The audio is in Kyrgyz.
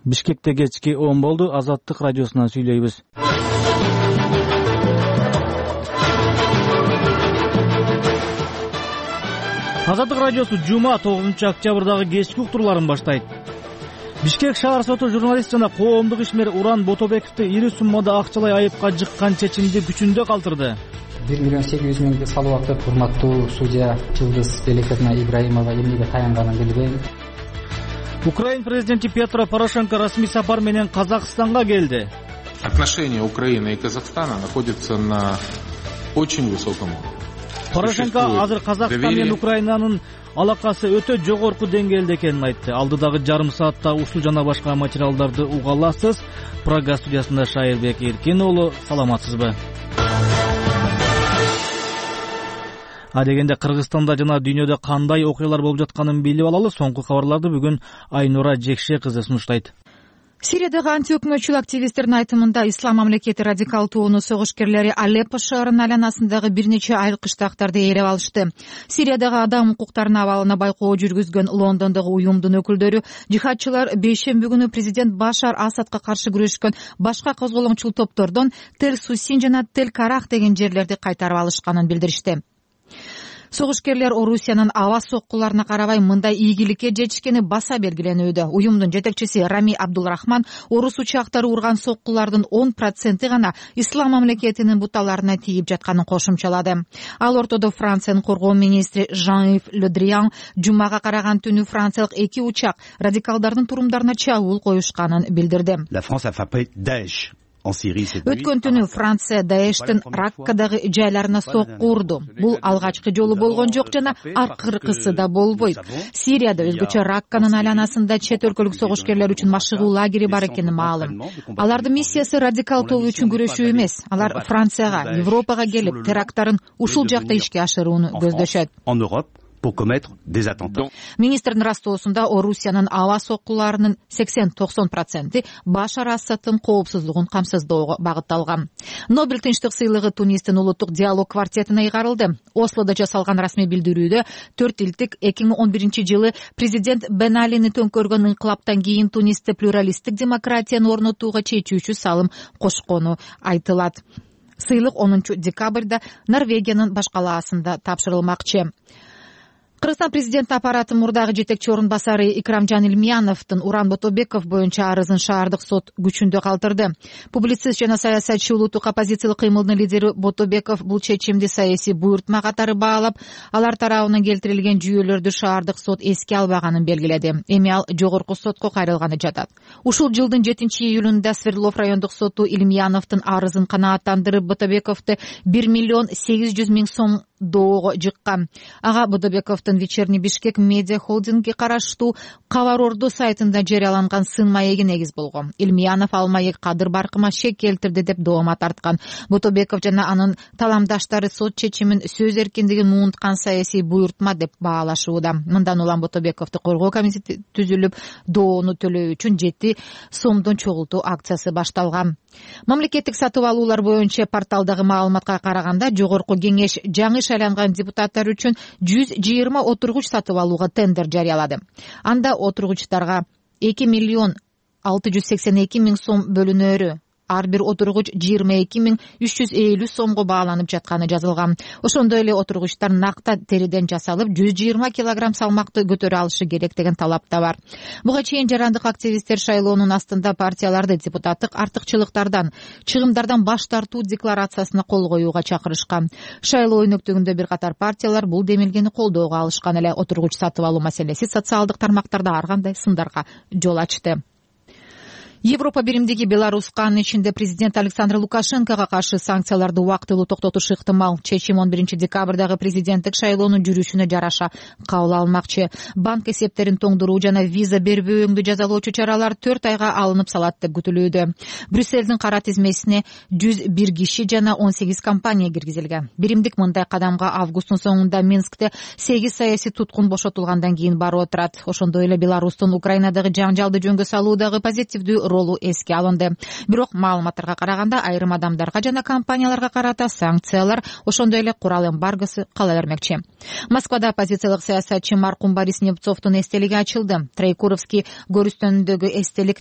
Бишкекте кечки 10 болду. Азаттык радиосунан сүйлөйбүз. Азаттык радиосу жума 9-октябрдагы кечки уктурларын баштайт. Бишкек шаар соту журналист жана коомдук ишмер Уран Ботобековду ири суммада акчалай айыпка жыккан чечимди күчүндө калтырды. 1,8 миллион салуу актып, урматтуу судья Жылдыз Белекетна Ибраимова эмнеге таянганын билбейм. Украин президенти Петро Порошенко расмий сапар менен Казакстанга келди. Отношения Украины и Казахстана находятся на очень высоком уровне. Порошенко азыр Казакстан менен Украинанын алакасы өтө жогорку деңгээлде экенин айтты. Алдыдагы жарым саатта ушул жана башка материалдарды уга аласыз. Прага студиясында Шайырбек Эркин уулу, саламатсызбы? Адегенде Кыргызстанда жана дүйнөдө кандай окуялар болуп жатканын билип алалы. Соңку кабарларды бүгүн Айнура Жекше кызы сунуштайт. Сириядагы антиөкмөтчүл активисттердин айтымында ислам мамлекети радикал тобунун согушкерлери Алеппо шаарынын айланасындагы бир нече айылкычтактарды ээлеп алышты. Сириядагы адам укуктарынын абалына байкоо жүргүзгөн Лондондогу уюмдун өкүлдөрү жихадчылар бейшемби күнү президент Башар Асадка каршы күрөшкөн башка козголоңчул топтордон Тель-Сусин жана Тель-Карах деген жерлерди кайтарып алышканын билдиришти. Согушкерлер Орусиянын аба соккуларына карабай мындай ийгиликке жетишкени баса белгиленүүдө. Уюмдун жетекчиси Рами Абдулрахман орус учактары урган соккулардын 10% гана ислам мамлекетинин буталарына тийип жатканын кошумчалады. Ал ортодо Франциянын коргоо министри Жан-Ив Ле Дриан жумага караган түнү франциялык 2 учак радикалдардын турумдарына чабуул коюшканын билдирди. Өткөн түнү Франция Даештин Раккадагы жайларына сокку урду. Бул алгачкы жолу болгон жок жана аркыркысы да болбойт. Сирияда өзгөчө Ракканын айланасында чет өлкөлүк согушкерлер үчүн машыгуу лагери бар экени маалым. Алардын миссиясы радикал тобу үчүн күрөшүү эмес. Алар Францияга, Европага келип, теракттарын ушул жакта ишке ашырууну көздөшөт. Министрдин растоосунда Орусиянын аба соккуларынын 80-90% Башар Асадтын коопсуздугун камсыздоого багытталган. Нобель тынчтык сыйлыгы Тунистин улуттук диалог квартетине ыйгарылды. Ослодо жасалган расмий билдирүүдө 4 илдик 2011-жылы президент Бен Алини төңкөргөн инкылаптан кийин Тунисте плюралисттик демократияны орнотууга чечүүчү салым кошкону айтылат. Сыйлык 10 декабрда Норвегиянын баш калаасында тапшырылмакчы. Кыргызстан президенти аппараты мурдагы жетекчи орун басары Икрамжан Илмияновдун Уран Ботобеков боюнча арызын шаардык сот күчүндө калтырды. Публицист жана саясатчы улуттук оппозициялык кыймылдын лидери Ботобеков бул чечимди саясий буйртма катары баалап, алар тарабынан келтирилген жүйөлөрдү шаардык сот эске албаганын белгиледи. Эми ал жогорку сотко кайрылганы жатат. Ушул жылдын 7-июлунда Свердлов райондук соту Илмияновдун арызын канааттандырып, Ботобековду 1,8 миллион сом доого жыккан. Ага Ботобековдун Вечерний Бишкек медиа холдингге караштуу Кабар Орду сайтында жарыяланган сын маеги негиз болгон. Илмиянов ал маек Кадыр Баркыма шек келтирди деп доoma тарткан. Ботобеков жана анын таламдаштары сот чечимин сөз эркиндигин муунткан саясий буйртма деп баалашууда. Мындан улам Ботобековду коргоо комитети түзүлүп, доону төлөө үчүн 7 сомдон чогултуу акциясы башталган. Мамлекеттик сатып алуулар боюнча порталдагы маалыматка караганда жогорку кеңеш жаңы шайланган депутаттар үчүн 120 отургуч сатып алууга тендер жарыялады. Анда отургучтарга 2,682,000 сом бөлүнөрү, ар бир отургуч 22,350 сомго бааланып жатканы жазылган. Ошондой эле отургучтар накта териден жасалып 120 килограмм салмакты көтөрө алышы керек деген талап да бар. Буга чейин жарандык активисттер шайлоонун астында партияларды депутаттык артыкчылыктардан, чыгымдардан баш тартуу декларациясына кол коюуга чакырышкан. Шайлоо өнөктүгүндө бир катар партиялар бул демилгени колдоого алышкан эле. Отургуч сатып алуу маселеси социалдык тармактарда ар кандай сындарга жол ачты. Европа биримдиги Беларуска, анын ичинде президент Александр Лукашенкого каршы санкцияларды убактылуу токтотушу ыктымал. Чечим 11 декабрдагы президенттик шайлоонун жүрүшүнө жараша кабыл алынмакчы. Банк эсептерин тоңдуруу жана виза бербөөңдү жазалоочу чаралар 4 айга алынып салат деп күтүлүүдө. Брюссельдин кара тизмесине 101 киши жана 18 компания киргизилген. Биримдик мындай кадамга августтун соңунда Минскте 8 саясий туткун бошотулгандан кийин барып отурат. Ошондой эле Беларустун Украинадагы жаңжалды жөнгө салуудагы позитивдүү ролу эске алынды. Бирок маалыматтарга караганда айрым адамдарга жана компанияларга карата санкциялар, ошондой эле курал эмбаргосы кала бермекчи. Москвада оппозициялык саясатчы маркум Борис Немцовдун эстелиги ачылды. Троекуровский көрүстөнүндөгү эстелик